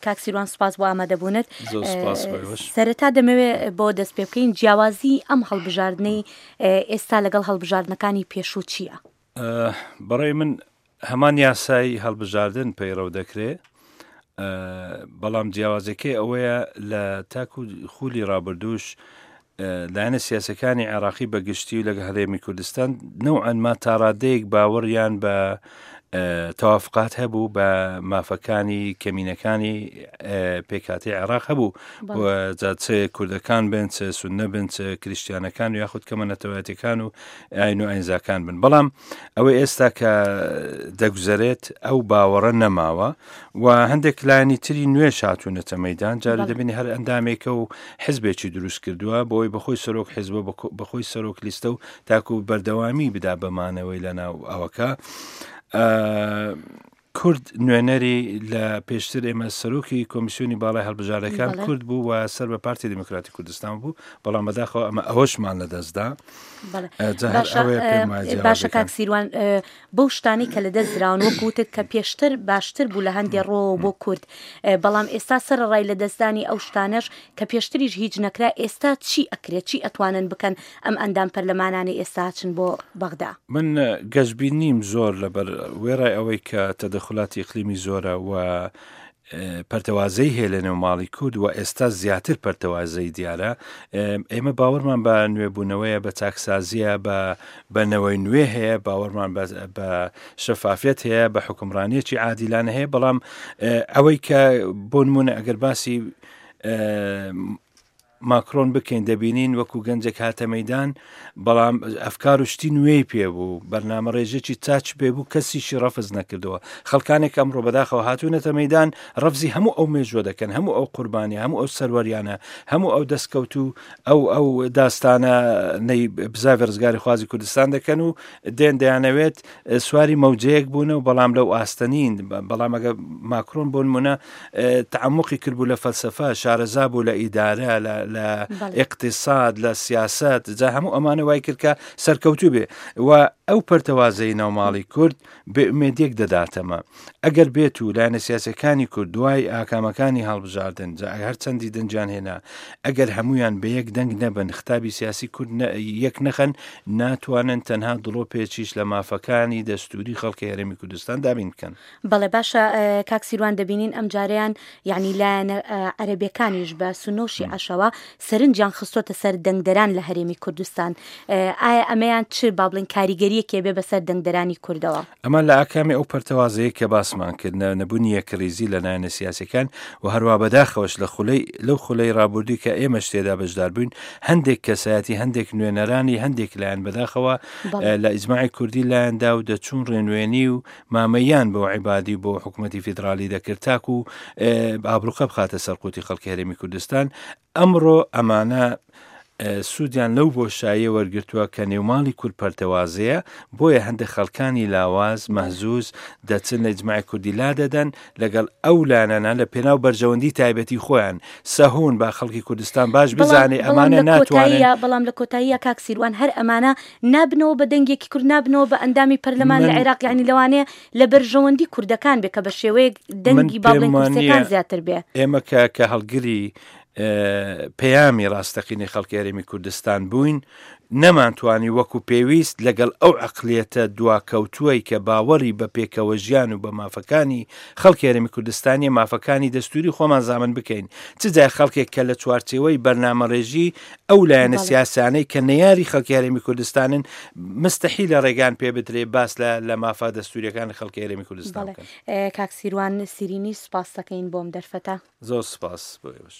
کاک سیروان سوپاس بۆ ئامادەبوونت. زۆر سوپاس بۆ ئێوەش. سەرەتا دەمەوێت بۆ دەست پێ بکەین جیاوازی ئەم هەڵبژاردنەی ئێستا لەگەڵ هەڵبژاردنەکانی پێشوو چییە؟ بەڕای من هەمان یاسای هەڵبژاردن پەیڕەو دەکرێ بەڵام جیاوازەکەی ئەوەیە لە تاکو خولی ڕابردووش لایەنە سیاسەکانی عێراقی بە گشتی و لەگە هەرێمی کوردستان نەوعەن ما تاڕادەیەک باوەڕیان بە تەوافقات هەبوو بە مافەکانی کەمینەکانی پێکاتی عێراق هەبوو جا چ کوردەکان بن چ سوننە بن چ کریستیانەکان و یاخود کەمە نەتەوایەتەکان و ئاین و ئاینزاکان بن بەڵام ئەوەی ئێستا کە دەگوزەرێت ئەو باوەڕە نەماوە و هەندێک لایەنی تری نوێش هاتوونەتە مەدان جاری دەبینی هەر ئەندامێکە و حزبێکی دروست کردووە بۆی بەخۆی سەرۆک حزبە بەخۆی سەرۆک لیستە و تاکو بەردەوامی بدا بەمانەوەی لە ناو ئەوەکە. کورد نوێنەری لە پێشتر ئێمە سەرۆکی کۆمیسیۆنی باڵای هەڵبژاردەکان کورد بوو و سەر بە پارتی دیموکراتی کوردستان بوو بەڵام بەداخەوە ئەمە ئەوەشمان لەدەستدا باشە کاک سیروان بەو شتانەی کە لەدەست دراون وەک وتت کە پێشتر باشتر بوو لە هەندێ ڕۆوە بۆ کورد بەڵام ئێستا سەرەڕای لەدەستدانی ئەو شتانەش کە پێشتریش هیچ نەکرا ئێستا چی ئەکرێت چی ئەتوانن بکەن ئەم ئەندام پەرلەمانانەی ئێستا چن بۆ بەغدا؟ من گەشبین نیم زۆر لەبەر وێڕای ئەوەی کە تەدەخولاتی ئیقلیمی زۆرە و پەرتەوازەی هەیە لە نێو ماڵی کورد و ئێستا زیاتر پەرتەوازەی دیارە ئێمە باوەڕمان بە نوێبوونەوەیە بە چاکسازیە بە بە نەوەی نوێ هەیە باوەڕمان بە شەفافیت هەیە بە حکومڕانیەکی عادیلانە هەیە بەڵام ئەوەی کە بۆ نمونە ئەگەر باسی ماکرۆن بکەین دەبینین وەکو گەنجێک هاتە مەدان بەڵام ئەفکار و شتی نوێی پێ بوو بەرنامە ڕێژێکی چاچ پێ بوو کەسیشی ڕەفز نەکردەوە خەڵکانێک ئەمڕۆ بەداخەوە هاتوونەتە مەدان ڕەفزی هەموو ئەو مێژوە دەکەن هەموو ئەو قوربانی هەموو ئەو سەروەریانە هەموو ئەو دەستکەوت و ئەو ئەو داستانە نەی بزاڤی ڕزگاری خوازی کوردستان دەکەن و دێن دەیانەوێت سواری مەوجەیەک بوون و بەڵام لەو ئاستە نین بەڵام ئەگە ماکرۆن بۆ نمونە تعمقی کردبوو لە فەلسفە شارەزا بوو لە ئیدارە لە اقتصاد لە سیاست جا هەموو ئەمانە وای کرد کە سەرکەوتوو بێ و ئەو پەرتەوازەی ناوماڵی کورد بێ ئومێدیەک دەداتەمە ئەگەر بێت و لایەنە سیاسەکانی کورد دوای ئاکامەکانی هەڵبژاردن جا هەر چەندی دەنگیان هێنا ئەگەر هەمویان بە یەک دەنگ نەبن ختابی سیاسی کورد یەک نەخەن ناتوانن تەنها دڵۆپێکیش لە مافەکانی دەستوری خەڵکی هەرێمی کوردستان دابین بکەن. بەڵێ باشە کاک سیروان دەبینین ئەمجارەیان یانی لایەنە عەرەبیەکانیش بە سوننە و شیعەشەوە سەرنجیان خستۆتە سەر دەنگدەران لە هەرێمی کوردستان ئایا ئەمەیان چ با بڵێین کاریگەریەکی بێ بەسەر دەنگدەرانی کوردەوە؟ ئەمە لە ئاکامی ئەو پەرتەوازەیە کە باسمان کرد نەبوونی یەکڕیزی لە لایەنە سیاسیەکان و هەروا بەداخەوەش لە خولەی لەو خولەی ڕابوردووی کە ئێمەش تێدا بەشدار بووین هەندێک کەسایەتی هەندێک نوێنەرانی هەندێک لایەن بەداخەوە لە ئیجماعی کوردی لایەندا و دەچوون ڕێنوێنی و مامەیان بۆ عیبادی و بۆ حکوومەتی فیدراڵی دەکرد تاکو ئابروقە بخاتە سەر قوتی خەڵکی هەرێمی کوردستان ئەمڕۆ ئەمانە سوودیان لەو بۆشاییە وەرگرتووە کە نێوماڵی کورد پەرتەوازەیە، بۆیە هەندێک خەڵکانی لاواز، مەهزوز، دەچن لە ئیجماعی کوردی لادەدەن، لەگەڵ ئەو لایەنانە لە پێناو بەرژەوەندی تایبەتی خۆیان سەهون، با خەڵکی کوردستان باش بزانێ ئەمانە ناتوانن. بەڵام لە کۆتاییا کاک سیروان هەر ئەمانە نابنەوە بە دەنگێکی کورد، نابنەوە بە ئەندامی پەرلەمان لە عێراق، یانی لەوانەیە لە بەرژەوەندی کوردەکان بێ کە بە شێوەیەک دەنگی با بڵێین کورسیەکان زیاتر بێ. ئێمە کە هەڵگری پەیامی ڕاستەقینەی خەڵکی هەرێمی کوردستان بووین، نەمانتوانی وەکو پێویست لەگەڵ ئەو عەقڵیەتە دواکەوتووەی کە باوەڕی بە پێکەوەژیان و بە مافەکانی خەڵکی هەرێمی کوردستانیە مافەکانی دەستوری خۆمان زامن بکەین، چ جای خەڵکێک کە لە چوارچێوەی بەرنامەڕێژی ئەو لایەنە سیاسیانەی کە نەیاری خەڵکی هەرێمی کوردستانن مستەحیلە ڕێگان پێ بدرێ باس لە لە مافە دەستوریەکانی خەڵکی هەرێمی کوردستان بکەن. کاک سیروان سیرینی سوپاستەکەین بۆم دەرفەتە. زۆر سپاس بۆ ئێوەش.